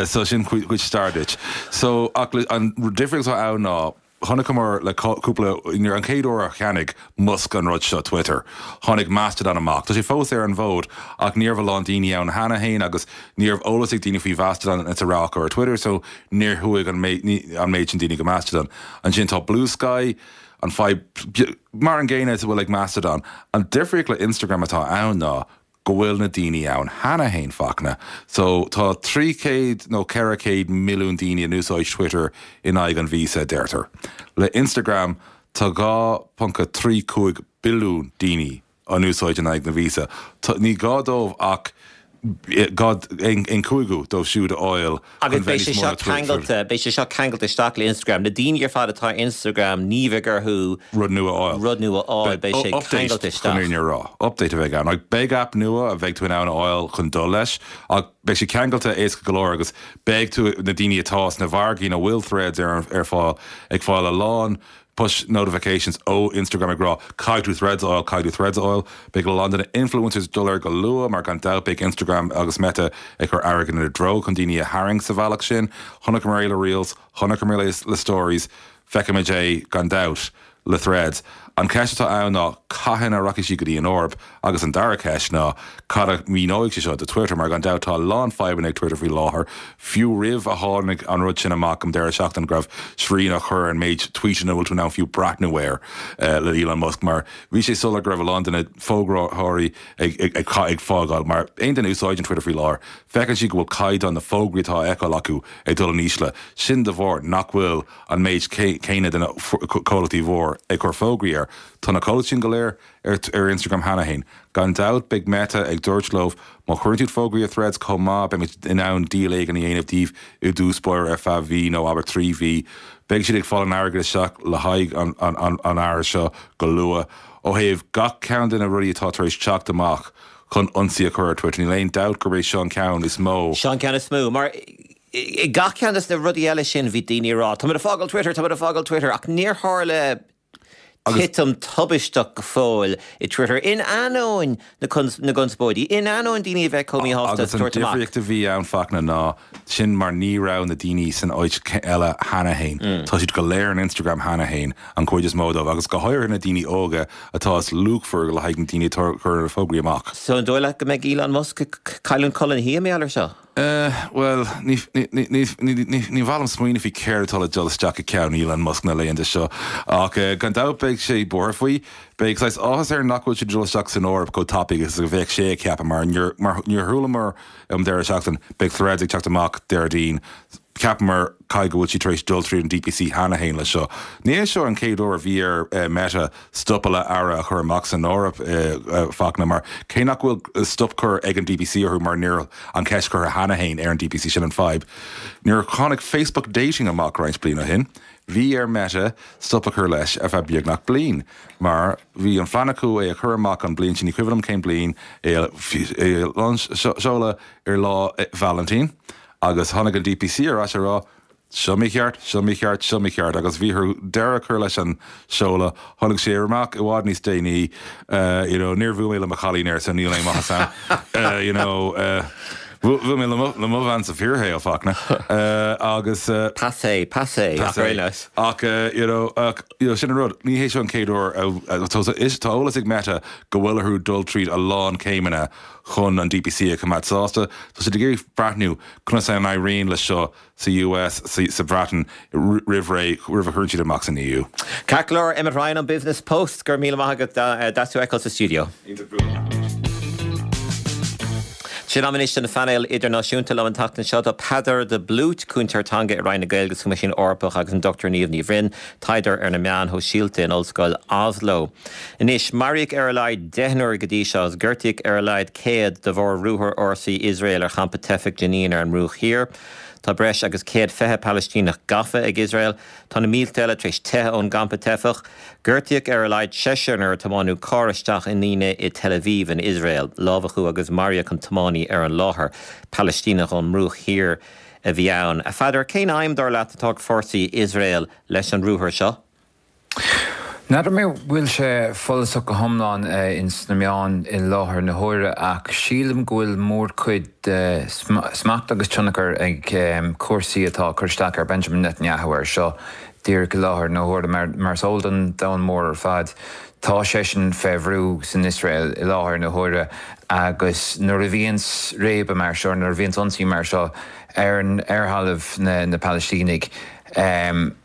so sin cuid stair duit. So ach an difríocht atá ann ná chonaiceamar le cúpla, nuair an chéad uair a cheannaigh Musk an rud seo, Twitter, tháinig Mastodon amach. Tá sé fós ar an bhfód ach ní raibh a lán daoine ann cheana féin agus ní raibh eolas ag daoine faoi Mhastodon is a raibh acu ar Twitter so níor chuaigh an méid sin daoine go Mastodon. Ansin tá Bluesky, an fadhb mar an gcéanna is a bhfuil ag Mastodon. An difríocht le Instagram atá ann ná go bhfuil na daoine ann cheana féin, Fachtna. So tá trí chéad nó ceithre chéad milliún daoine in úsáid Twitter in aghaidh an mhíosa, deirtear. Le Instagram tá dhá ponc a trí cúig billiún daoine in úsáid in aghaidh na mhíosa. Ní gá dóibh ach dhá aon cúigiú dóibh siúd a fháil Agus beidh sé seo ceangailte, beidh sé seo ceangailte isteach le Instagram. Na daoine ar fad atá ar Instagram, ní bheidh orthu rud nua a fháil. Rud nua a fháil, beidh sé ceangailte isteach. Chun fhírinne a rá, update a bheidh ann. Like, beidh aip nua a bheidh tú in ann a fháil chun dul leis, ach beidh sé ceangailte éasca go leor agus beidh tú, na daoine atá sna mhargaí ina bhfuil Threads ar, ar fáil, ag fáil a lán push notifications ó Instagram ag rá caithfidh tú Threads a fháil, caithfidh tú Threads a fháil. Beidh a lán de na influencers dul air go luath mar gan dabht beidh Instagram agus Meta ag cur airgead ina dtreo chun daoine a tharraingt sa bhealach sin. Chonaiceamar é le Reels, chonaiceamar é le Stories, feicfimid é gan dabht le Threads. An ceist atá ann ná cathain a rachaidh sí go dtí an Eoraip agus an dara ceist ná cad a mhíneoidh sé seo do Twitter mar gan dabht tá a lán fadhbanna ag Twitter faoi láthair, fiú roimh a tháinig an rud sin amach um deireadh seachtaine go raibh srian á chur ar an méid tweetanna a bhfuil tú in ann fiú breathnú air le Elon Musk mar bhí sé soiléir go raibh a lán de na fógróirí ag ag ag ag fágáil mar aon duine a úsáideann Twitter faoi láthair feiceann siad go bhfuil caighdeán na fógraí atá á fheiceáil acu ag dul in ísle, sin de bharr nach bhfuil an méid céanna de na comhlachtaí mhór ag cur fógraí air. Tá na comhlachtaí sin go léir ar ar Instagram cheana féin. Gan dabht beidh Meta ag dúirt leo má chuireann tú fógraí ar Threads chomh maith beimid in ann díol éigin a dhéanamh díobh i dtús báire ar feadh mhí nó abair trí mhí. Beidh siad ag fáil an airgead isteach le haghaidh an an an an athraithe seo go luath. Ó thaobh gach ceann de na rudaí atá tar éis teacht amach chun ionsaí a chur ar Twitter, níl aon dabht gurb é seo an ceann is mó. Seo an ceann is mó, mar i gach ceann de na rudaí eile sin bhí daoine ag rá, Táimid ag fágáil Twitter, táimid ag fágáil Twitter, ach níor tharla titim tubaisteach go fóill i Twitter in ainneoin na na gconspóidí, in ainneoin daoine a bheith chomh míshásta Agus an tabhairt amach. difríocht a bhí ann Fachtna ná sin mar ní raibh na daoine san áit eile cheana féin. Tá siad go léir in Instagram cheana féin an chuid is mó dóibh agus go háirithe na daoine óga atá is luachmhar le haghaidh na daoine atá ag cur na fógraí amach. So an dóigh leat go mbeidh Elon Musk ag cailliúint codladh na hoíche mar gheall air seo? Uh, well, ní ní mhaith liom smaoineamh faoi céard atá le dul isteach i gceann Elon Musk na laethanta seo ach uh, gan dabht beidh sé buartha faoi, beidh saghas áthas air nach bhfuil sé dul isteach san Eoraip chomh tapaidh agus a bheadh sé ag ceapadh mar níor mar níor chualamar um deireadh seachtain beidh Threads ag teacht amach Déardaoin ceapamar caithfidh go bhfuil sí tar éis dul tríd an DPC cheana féin le seo. Ní hé seo an chéad uair a bhí ar uh, Meta stop le earra a chur amach san Eoraip uh, uh, Fachtna mar cé nach bhfuil stop curtha ag an DPC orthu mar níl an ceist curtha cheana féin ar an DPC sin an fadhb. Nuair a tháinig Facebook dating amach roinnt bliain ó shin, bhí ar Meta stop a chur leis ar feadh beagnach bliain, mar bhí an phlean acu é a chur amach an bliain sin ní cuimhin liom cén bliain é seoladh ar lá Valentine. agus tháinig an DPC ar ais ag rá seo mícheart, seo mícheart, seo mícheart, agus bhí orthu deireadh a chur leis an seoladh, tháinig sé amach i bhfad níos déanaí, uh, you know, níor bhuail mé le mo chailín air so níl aon maitheas ann. Uh, you know, uh, Bhuail mé le mo bhean sa fíorshaol Fachtna uh, agus uh, Passé, passé, Passé. Ach uh, you know, ach, you know, sin an rud ní hé seo an chéad uair tá eolas ag Meta go bhfuil orthu dul tríd a lán céimeanna chun an DPC a choimeád sásta, Tá siad ag iarraidh breathnú conas a n-éiríonn le seo sa US sa Bhreatain roimh ré roimh a chuireann siad amach san EU. Ceart go leor Emmet Ryan an Business Post gur míle maith agat as tú fheiceáil sa studio. Sin am anois don phainéal idirnáisiúnta liom an tseachtain seo tá Peadar de Blút cúntóir teanga i Roinn na Gaeilge sa Choimisiún Eorpach agus an Dr Niamh Ní Bhroin, taighdeoir ar na meáin shóisialta in Ollscoil Oslo. Anois maraíodh ar a laghad deichniúr go dtí seo agus gortaíodh ar a laghad céad de bharr ruathar fhórsaí Iosrael ar champa teifeach Jenin ar an mBruach Thiar. Tá breis agus céad fiche Palaistíneach gafa ag Iosrael, Tá na mílte eile tar éis teitheadh ón gcampa teifeach, Gortaíodh ar a laghad seisear nuair a tiomáineadh carr isteach i ndaoine i Tel Aviv in Iosrael, lámhachadh agus maraíodh an tiománaí ar an láthair Palaistíneach ón mBruach Thiar a bhí ann. A Pheadair cén aidhm dar leat atá ag fórsaí Iosrael leis an ruathar seo? N'fheadar mé bhfuil sé follasach go hiomlán ins na meáin i láthair na huaire ach sílim go bhfuil mórchuid de smacht agus tionchar ag cúrsaí atá cur isteach ar Benjamin Netanyahu air seo díreach i láthair na huaire mar mar is eol don domhan mór ar fad. Tá seisean fé bhrú san Iosrael i láthair na huaire agus nuair a bhíonns réabadh mar seo nuair a bhíonns ionsaí mar seo ar an ar thalamh na, na Palaistínigh. Um,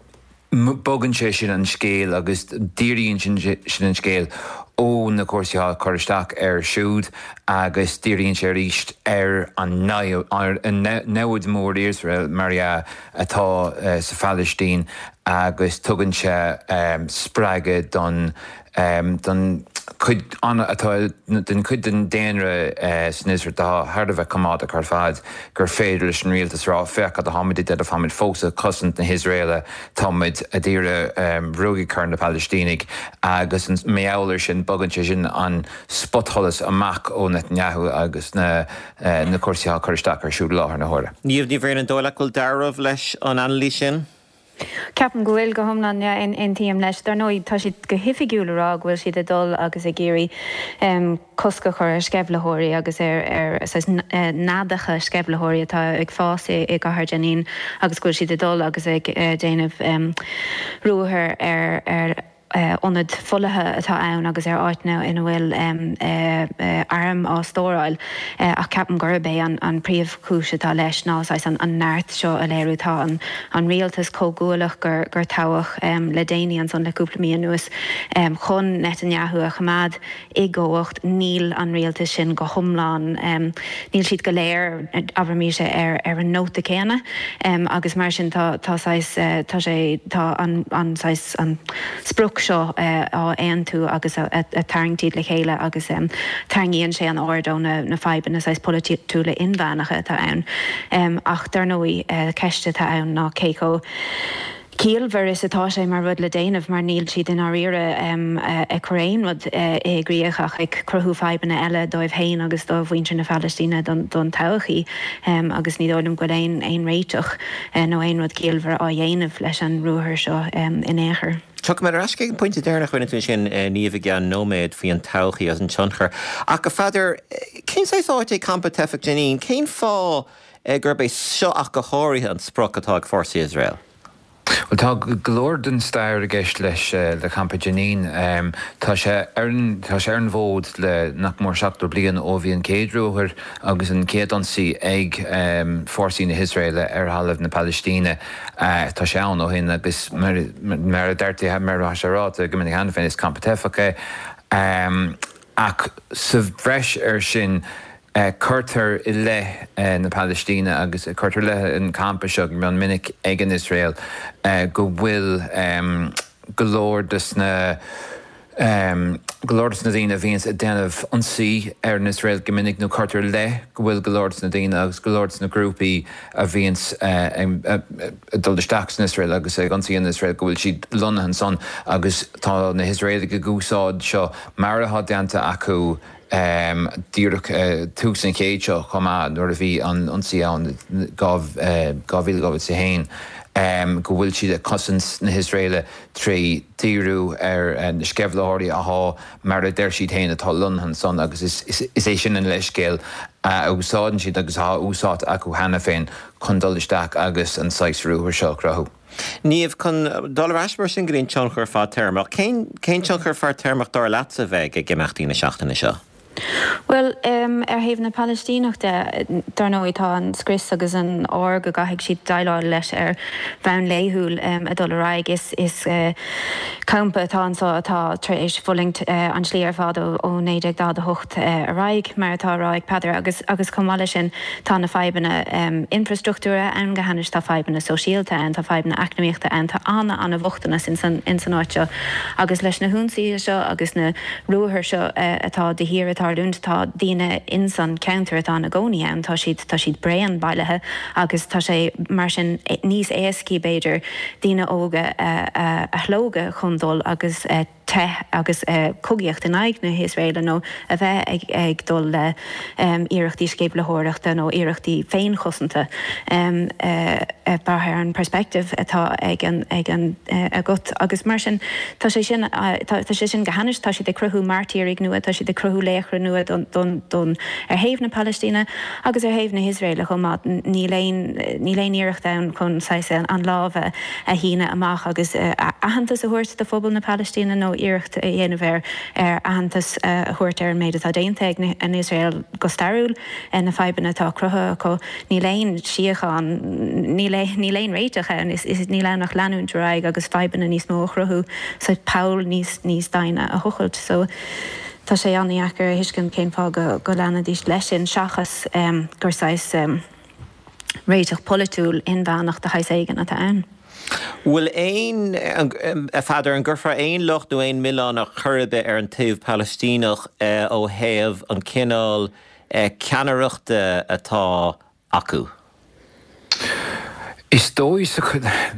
bogann sé sin an scéal agus díríonn sin sin an scéal ó na cúrsaí atá cur isteach air siúd agus díríonn sé arís ar an namhaid mór Iosrael mar dhea atá uh, sa Phalaistín agus tugann sé um, spreagadh don um, don chuid atá den chuid den daonra uh, san Iosrael atá thar a bheith coimeádach ar fad gur féidir leis an rialtas rá féach cad atáimid ag déanamh táimid fós ag cosaint na hIosraela táimid ag iarraidh um, ruaig a chur ar na Palaistínigh agus an meabhair sin bogann sé sin an spotsholas amach ó Netanyahu agus na, uh, na cúrsaí atá cur isteach air siúd láthair na huaire. Niamh Ní Bhriain an dóigh leat go bhfuil dealramh leis an anailís sin? Ceapaim go bhfuil go hiomlán, yeah, aontaím leis. Dar ndóigh, tá siad go hoifigiúil ag rá go bhfuil siad ag dul agus ag iarraidh cosc a chur ar sceimhlitheoirí agus ar ar saghas neadacha sceimhlitheoirí atá ag fás i gcathair Jenin agus go bhfuil siad ag dul agus ag déanamh ruathar ar ar ionaid folaithe atá ann agus ar áiteanna ina bhfuil airm á stóráil ach ceapaim gurb é an príomhchúis atá leis ná saghas an neart seo a léiriú. Tá an rialtas comhghuaillíoch gur toghadh le déanaí ansan le cúpla mí anuas chun Netanyahu a choimeád i gcumhacht. Níl an rialtas sin go hiomlán, níl siad go léir, abraimis, ar an nóta céanna agus mar sin tá saghas, tá sé, tá an saghas, an sprioc seo á aontú agus a tarraingt iad le chéile agus tarraingíonn sé an aird ó na fadhbanna saghas polaitiúla inmheánacha atá ann. Ach dar ndóigh, ceist atá ann ná cé chomh ciallmhar is atá sé mar rud le déanamh mar níl siad i ndáiríre ag cur aon rud i gcrích ach ag cruthú fadhbanna eile dóibh féin agus do mhuintir na Palaistíne don todhchaí agus ní dóigh liom go bhfuil aon réiteach nó aon rud ciallmhar á dhéanamh leis an ruathar seo in aon chor. Tiocfaidh mé ar ais chuig an bpointe deireanach a rinne tú ansin, Niamh, i gceann nóiméad faoi an todhchaí agus an tionchar. Ach, a Pheadair, cén saghas áit é campa teifeach Jenin? Cén fáth gurb é seo ach go háirithe an sprioc atá ag fórsaí Iosrael? Bhuel, tá go leor den stair i gceist leis le campa Jenin. Tá sé ar an tá sé ar an bhfód le nach mór seachtó bliain ó bhí an chéad ruathar agus an chéad ionsaí ag fórsaí na hIosraeile ar thalamh na Palaistíne. Tá sé ann ó shin agus mar mar a deirtear mar atá sé ráite go minic cheana féin is campa teifeach é. Ach sa bhreis air sin, Cuirtear i leith na Palaistíne agus cuirtear i leith an campa seo go mion minic ag an Iosrael go bhfuil go leor de na go leor de na daoine a bhíonns ag déanamh ionsaí ar an Iosrael go minic nó cuirtear i leith go bhfuil go leor de na daoine agus go leor de na grúpaí a bhíonns ag dul isteach san Iosrael agus ag ionsaí an Iosrael go bhfuil siad lonnaithe ansan agus tá na hIosraelaigh ag úsáid seo mar atá déanta acu Díreach tús an chéid seo chomh maith, nuair a bhí an ionsaí ann dhá mhíle dhá mhíle is a haon, go bhfuil siad ag cosaint na hIosraeile trí dhíriú ar na sceimhlitheoirí athá, mar a deir siad féin, atá lonnaithe ansan agus is é sin an leithscéal a úsáideann siad agus atá úsáidte acu cheana féin chun dul isteach agus an saghas ruathair seo a chruthú. Niamh, chun dul ar ais mar sin go dtí an tionchar fadtéarmach, cén tionchar fadtéarmach dar leatsa a bheidh ag imeachtaí na seachtaine seo? Bhuel, ar thaobh na Palaistíneach de, dar ndóigh, tá an scrios agus an ár go gcaithfidh siad déileáil leis ar bhonn laethúil ag dul ar aghaidh. Is campa atá anseo atá tar éis fulaingt an tslí ar fad ó naoi déag daichead a hocht ar aghaidh, mar atá á rá ag Peadar, agus agus chomh maith leis sin tá na fadhbanna infreastruchtúrtha ann go hainnis, tá fadhbanna sóisialta ann, tá fadhbanna eacnamaíochta ann, tá ana-ana-bhochtanas ins an áit seo agus leis na hionsaithe seo agus na ruathair seo atá de shíor ag tarlúint, tá daoine ins an cheantar atá ina gcónaí ann, tá siad, tá siad bréan bailithe agus tá sé mar sin níos éascaí b'fhéidir daoine óga a shlógadh chun dul agus teitheadh agus cogaíocht in aghaidh na hIosraeile nó a bheith ag dul le iarrachtaí sceimhlitheoireachta nó iarrachtaí féinchosanta ag brath ar an perspective atá ag an ag an agat agus mar sin tá sé sin tá sé sin go hainnis, tá siad ag cruthú mairtírigh nua, tá siad ag cruthú laochra nua don don don ar thaobh na Palaistíne agus ar thaobh na hIosraeile chomh maith. Níl aon níl aon iarracht ann chun saghas an lámh a a shíneadh amach agus aitheantas a thabhairt do phobal na Palaistíne nó iarracht a dhéanamh ar ar aitheantas a thabhairt ar an méid atá déanta ag an Iosrael go stairiúil, na fadhbanna atá cruthaithe acu. Níl aon síocháin, níl níl aon réiteach ann, is is níl ann ach leanúint ar aghaidh agus fadhbanna níos mó a chruthú, so poll níos níos doimhne a thochailt. So tá sé an-dheacair a thuiscint cén fáth go go leanfaidís leis sin seachas gur saghas réiteach polaitiúil inmheánach de shaghas éigin atá ann. Bhfuil aon, a Pheadair, an gcuirfeá aon locht nó aon mhilleán ar chor ar bith ar an taobh Palaistíneach ó thaobh an cineál ceannaireachta atá acu? Is dóigh,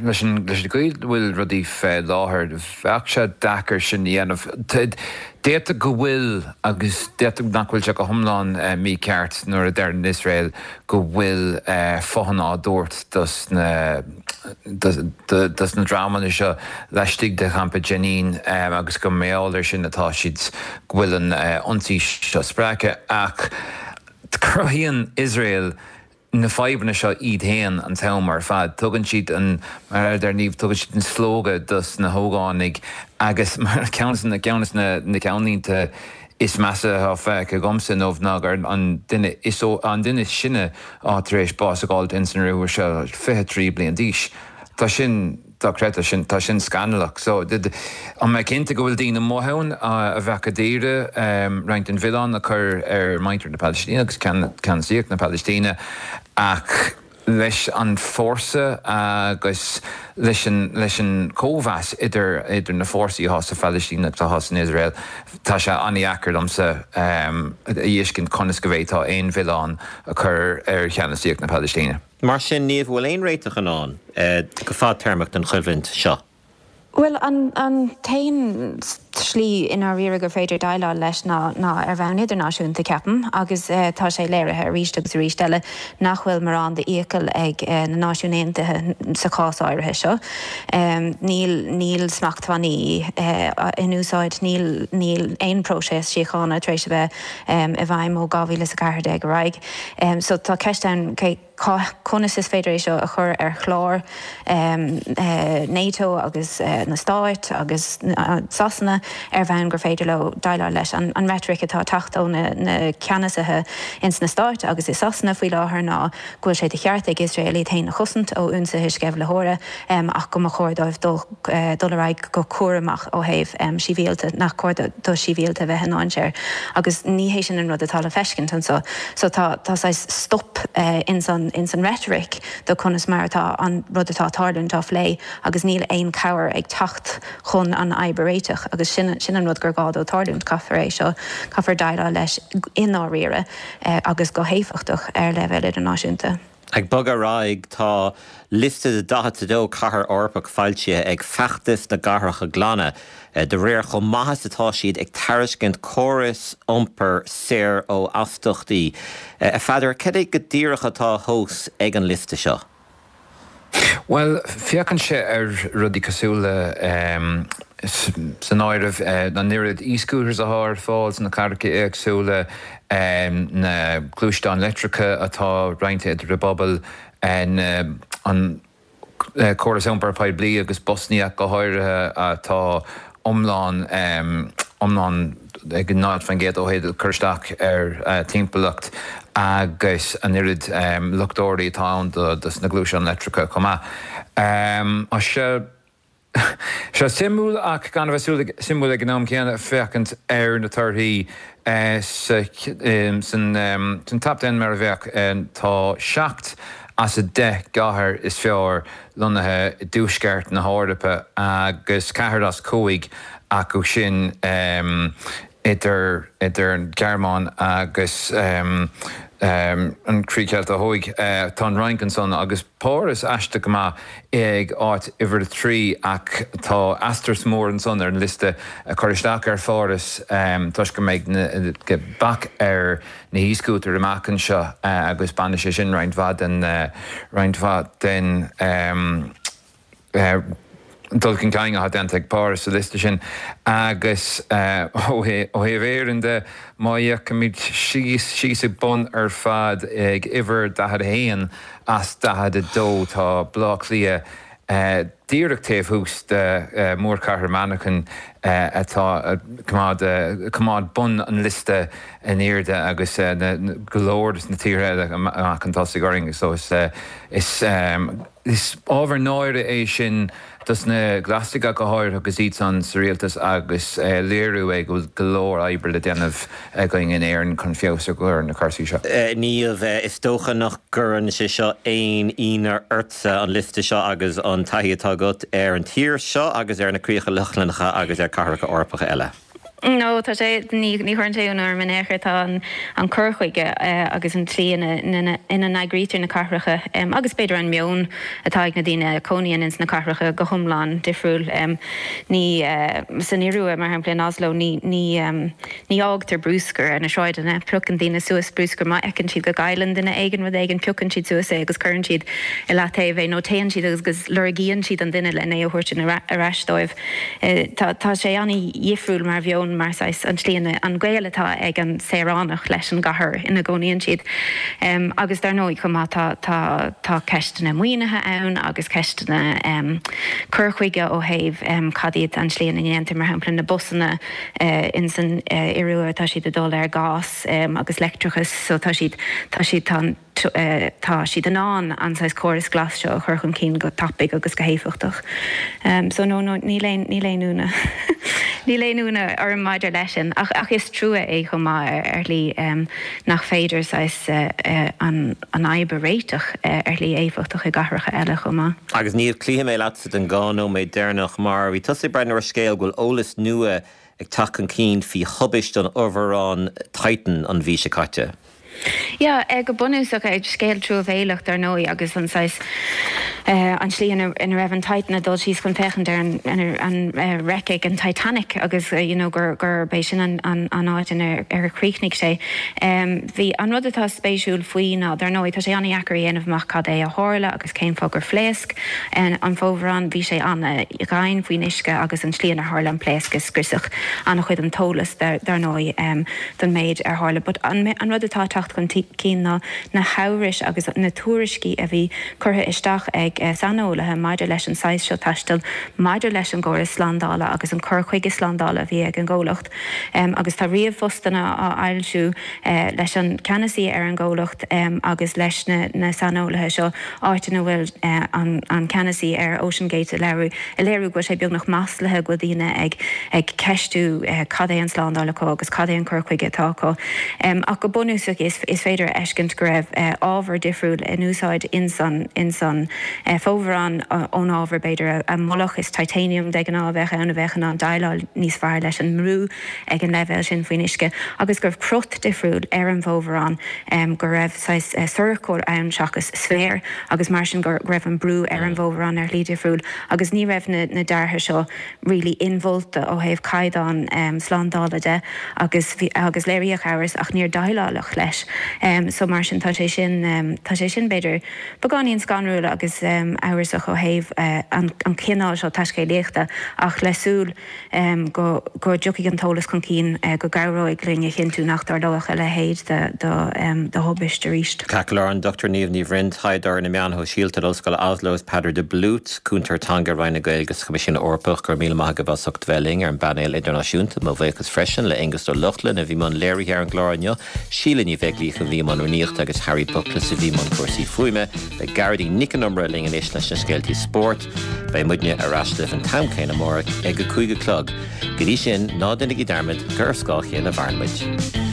leis an gcaoi a bhfuil rudaí fé láthair, bheadh sé deacair sin a dhéanamh. D'fhéadfadh go bhfuil agus d'fhéadfadh nach bhfuil sé go hiomlán mícheart nuair a deireann Iosrael go bhfuil fothain á dtabhairt dos na dos na dreamanna seo laistigh de champa Jenin agus go mar gheall air sin atá siad go bhfuil an ionsaí seo spreagtha ach cruthaíonn Iosrael na fadhbanna seo iad féin an t-am ar fad. Tugann siad an, mar a deir Niamh, tugann siad an slógadh dos na hógánaigh agus mar ceann de na ceann de na ceannlínte is measa atá feicthe agamsa inniu ná gur an duine is an duine is sine atá tar éis bás a fháilt ins an ruathar seo, fiche trí bliain d'aois. Tá sin dochreidte, sin, tá sin scannalach. So, tá mé cinnte go bhfuil daoine amuigh ann a bheadh ag iarraidh roinnt den mhilleán a chur ar mhuintir na Palaistíne agus ceannasaíocht na Palaistíne ach leis an fórsa agus leis an, leis an cóimheas idir, idir na fórsaí atá sa Phalaistín agus atá san Iosrael, tá sé an-dheacair domsa a fheiscint conas go bhféadfá aon mhilleán a chur ar cheannasaíocht na Palaistíne. Mar sin, Niamh, an bhfuil aon réiteach i ndán go fadtéarmach don choimhlint seo? Bhuel, an t-aon slí i ndáiríre gur féidir déileáil leis ná ná ar bhonn idirnáisiúnta, ceapaim, agus tá sé léirithe arís agus arís eile nach bhfuil mórán d'iachall ag na Náisiúin Aontaithe sa chás áirithe seo. Níl níl smachtbhannaí in úsáid, níl níl aon próiseas síochána tar éis a bheith i bhfeidhm ó dhá mhíle is a ceathair déag ar aghaidh. So tá ceist ann cé conas is féidir é seo a chur ar chlár NATO agus na Stáit agus Sasana ar bhonn gur féidir leo déileáil leis. An reitric atá ag teacht ó na ceannasaithe ins na Stáit agus i Sasana faoi láthair ná go bhfuil sé de cheart ag Iosrael iad féin a chosaint ó ionsaithe sceimhlitheora ach go mba chóir dóibh dul dul ar aghaidh go cúramach ó thaobh sibhialta, nach cóir do shibhialta a bheith i ndainséar. Agus ní hé sin an rud atá le feiscint anseo. So tá tá saghas stop ins an ins an reitric do conas mar atá an rud atá ag tarlúint á phlé agus níl aon cabhair ag teacht chun an fhadhb a réiteach agus sin sin an rud gur gá dó tarlúint, caithfear é seo, caithfear déileáil leis i ndáiríre agus go héifeachtach ar leibhéal idirnáisiúnta. Ag bogadh ar aghaidh, tá liosta de daichead a dó cathair Eorpach foilsithe ag Feachtas na gCathracha Glana de réir chomh maith is atá siad ag tairiscint córas iompair saor ó astaíochtaí. A Pheadair, cad é go díreach atá á thomhas ag an liosta seo? Bhuel, féachann sé ar rudaí cosúil le, san áireamh, an oiread e-scooters atá ar fáil sna cathracha éagsúla, na gluaisteáin leictreacha atá roinnte idir an bpobal, an córas iompair poiblí agus busanna go háirithe atá iomlán iomlán ag náid faoin gcéad ó thaobh cur isteach ar timpeallacht agus an oiread luchtóirí atá ann dos na gluaisteáin leictreacha chomh maith. Tá sé sé suimiúil ach gan a bheith suimiúil ag an am céanna féachaint ar na torthaí san top ten mar a bheadh. Tá seacht as a deich gcathair is fearr lonnaithe i dtuaisceart na hEorpa agus ceathair as cúig acu sin idir idir an Ghearmáin agus an Chríoch Cheilteach Thuaidh. Tá an Fhrainc ansan agus Páras aisteach go maith ag áit uimhir a trí ach tá asterisk mór ansan ar an liosta ag cur isteach ar Pháras toisc go mbeidh bac ar na e-scootair amach anseo agus bainfidh sé sin roinnt mhaith den roinnt mhaith den dul chun cinn atá déanta ag Páras sa liosta sin agus ó thaobh Éireann de, má fhéachaimid síos síos ag bun ar fad ag uimhir daichead a haon as daichead a dó tá Baile Átha Cliath díreach taobh thuas de mhórchathair Manchain atá ag coimeád bun an liosta in airde agus go leor de na tíortha eile amach chun tosaigh orainn. So is is ábhar náire é sin dos na Glasaigh go háirithe agus iadsan sa rialtas agus léiriú é go bhfuil go leor oibre le déanamh againn in Éirinn chun feabhas a chur ar na cúrsaí seo. Niamh, is dócha nach gcuireann sé seo aon ionadh ortsa, an liosta seo agus an taithí atá agat ar an tír seo agus ar na Críocha Lochlannacha agus ar cathracha Eorpacha eile. No, tá sé ní ní chuireann sé ionadh orm in aon chor tá an an cur chuige agus an tslí ina ina ina n-eagraítear na cathracha agus b'fhéidir an meon atá ag na daoine a chónaíonn ins na cathracha go hiomlán difriúil. Ní san Iorua mar shampla in Oslo ní ní ní fhágtar bruscar ar na sráideanna, piocann daoine suas bruscar má fheiceann siad go gcailleann duine éigin rud éigin piocann siad suas é agus cuireann siad i leataobh é nó téann siad agus agus lorgaíonn siad an duine lena é a thabhairt ar ais dóibh. Tá tá sé an-dhifriúil mar mheon mar saghas an tslí an gaol atá ag an saoránach leis an gcathair ina gcónaíonn siad. Agus dar ndóigh chomh maith tá tá tá ceisteanna maoinithe ann agus ceisteanna cur chuige ó thaobh cad iad an tslí ina ndéantar mar shampla na busanna in san Iorua tá siad ag dul ar ghás agus leictreachas so tá siad tá siad tá an tá siad in ann an saghas córas glas seo a chur chun cinn go tapaidh agus go héifeachtach. So no no níl aon níl aon ionadh níl aon ionadh orm maidir leis sin ach ach is trua é chomh maith ar shlí nach féidir saghas an an fhadhb a réiteach ar shlí éifeachtach i gcathracha eile chomh maith. Agus Niamh, cloífidh mé leatsa don dhá nóiméad deireanach mar bhí tusa ag breathnú ar scéal go bhfuil eolas nua ag teacht chun cinn faoi thubaist an fhomhuireáin Titan an mhí seo caite. Yeah, go bunúsach scéal truamhéalach dar ndóigh agus an saghas an tslí ina ina raibh an Titan ag dul síos chun féachaint ar an an wreck ag an Titanic agus you know gur gurb é sin an an an áit ina ar chríochnaigh sé. Bhí an rud atá spéisiúil faoi ná dar ndóigh tá sé an-deacair a dhéanamh amach cad é a tharla agus cén fáth gur phléasc an fomhuireán, bhí sé an-domhain faoin uisce agus an tslí inar tharla an pléasc is scriosadh an-chuid den t-eolas dar ndóigh don méid ar tharla. But an an rud atá ag teacht chun cinn ná na hamhrais agus na tuairiscí a bhí curtha isteach ag saineolaithe maidir leis an saghas seo taistil, maidir leis an gcóras slándála agus an cur chuige slándála a bhí ag an gcomhlacht. Agus tá ríomhphostanna á fhoilsiú leis an ceannasaí ar an gcomhlacht agus leis na saineolaithe seo, áit ina bhfuil an ceannasaí ar OceanGate ag léiriú ag léiriú go bhfuil sé beagnach maslaithe go bhfuil daoine ag ag ceistiú cad é an slándáil acu agus cad é an cur chuige atá acu. Ach go bunúsach is is féidir a fheiscint go raibh ábhar difriúil in úsáid ins an ins an fomhuireán ón ábhar b'fhéidir a moladh is titanium de ghnáth a bheadh ann a bheadh in ann déileáil níos fearr leis an mbrú ag an leibhéal sin faoin uisce agus go raibh crot difriúil ar an bhfomhuireán go raibh saghas sorcóir ann seachas sféar agus mar sin go raibh an brú ar an bhfomhuireán ar shlí difriúil agus ní raibh na na deartha seo really inmholta ó thaobh caighdeán slándála de agus bhí agus léiríodh amhras ach níor déileáladh leis. So mar sin tá sé sin tá sé sin b'fhéidir beagáinín scanrúil agus amhrasach ó thaobh an an cineál seo taiscéalaíochta ach le súil go go dtiocfaidh an t-eolas chun cinn go gcabhróidh linn a chinntiú nach dtarlóidh a leithéid de de de thubaist arís. Ceart go leor, an Dochtúir Niamh Ní Bhroin, taighdeoir ar na meáin shóisialta in Ollscoil Oslo is Peadar de Blút, cúntóir teanga Roinn na Gaeilge sa Choimisiún Eorpach, go raibh míle maith agaibh as ucht bheith linn ar an bpainéal idirnáisiúnta. Mo bhuíochas freisin le Aengus Ó Lochlainn a bhí i mbun léirithe ar an gclár inniu, Síle Ní Bheaglaoich a bhí i mbun rúnaíochta agus Harry Buckless a bhí i mbun cúrsaí fuaime. Beidh Gearóidín Nic an Iomaire linn anois leis na scéaltaí spóirt. Beidh muidne ar ais libh an t-am céanna amárach ag a cúig a chlog. Go dtí sin, ná déanaigí dearmad gur ar scáth a chéile a mhaireann muid.